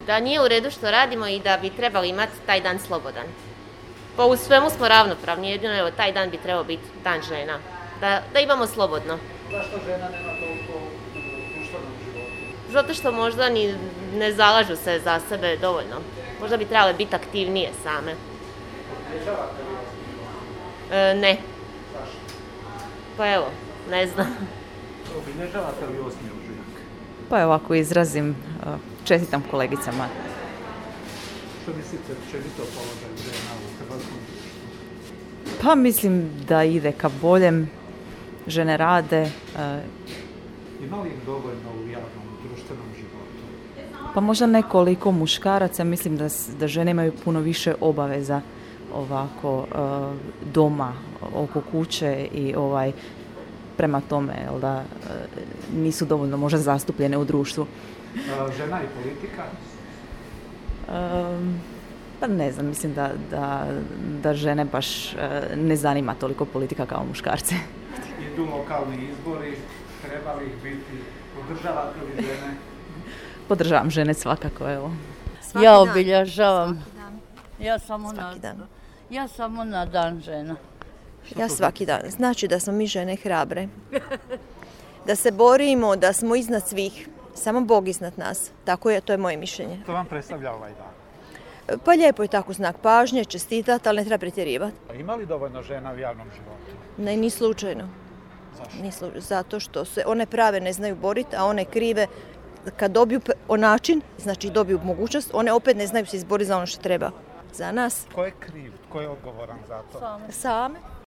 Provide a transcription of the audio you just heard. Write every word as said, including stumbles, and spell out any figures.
da nije u redu što radimo i da bi trebali imati taj dan slobodan. Pa u svemu smo ravnopravni, jedino evo, taj dan bi trebao biti dan žena, da, da imamo slobodno. Zašto žena nema toliko u društvenom životu? Zato što možda ni ne zalažu se za sebe dovoljno. Možda bi trebale biti aktivnije same. Obilježavate li osmi E, ne, Zašto? pa evo, ne znam. Obilježavate li osmi ožujak? Pa evo ako izrazim, uh, čestitam kolegicama. Što mislite općenito o položaju žena u hrvatskom društvu? Pa mislim da ide ka boljem, žene rade, uh, Ima li ih dovoljno u javnom društvenom životu? pa možda nekoliko muškaraca, mislim da, s- da žene imaju puno više obaveza ovako uh, doma, oko kuće i ovaj prema tome, jel da uh, nisu dovoljno možda zastupljene u društvu. A, žena i politika? Um, pa ne znam, mislim da, da, da žene baš uh, ne zanima toliko politika kao muškarce. Idu lokalni izbori, treba li ih biti? Podržavate li žene? Podržavam žene svakako, evo. Svaki Ja dan. obilježavam. Svaki dan. Ja samo na, Svaki dan. ja samo na dan žena. Ja svaki dan. Znači da smo mi žene hrabre. Da se borimo, da smo iznad svih. Samo Bog iznad nas. Tako je, to je moje mišljenje. Što vam predstavlja ovaj dan? Pa lijepo je tako znak pažnje, čestitati, ali ne treba pretjerivati. Ima li dovoljno žena u javnom životu? Ne, ni slučajno. Zašto? Ni slučajno. Zato što se one prave ne znaju boriti, a one krive kad dobiju p- o način, znači dobiju mogućnost, one opet ne znaju se izboriti za ono što treba. Za nas Tko je kriv? Tko je odgovoran za to? same.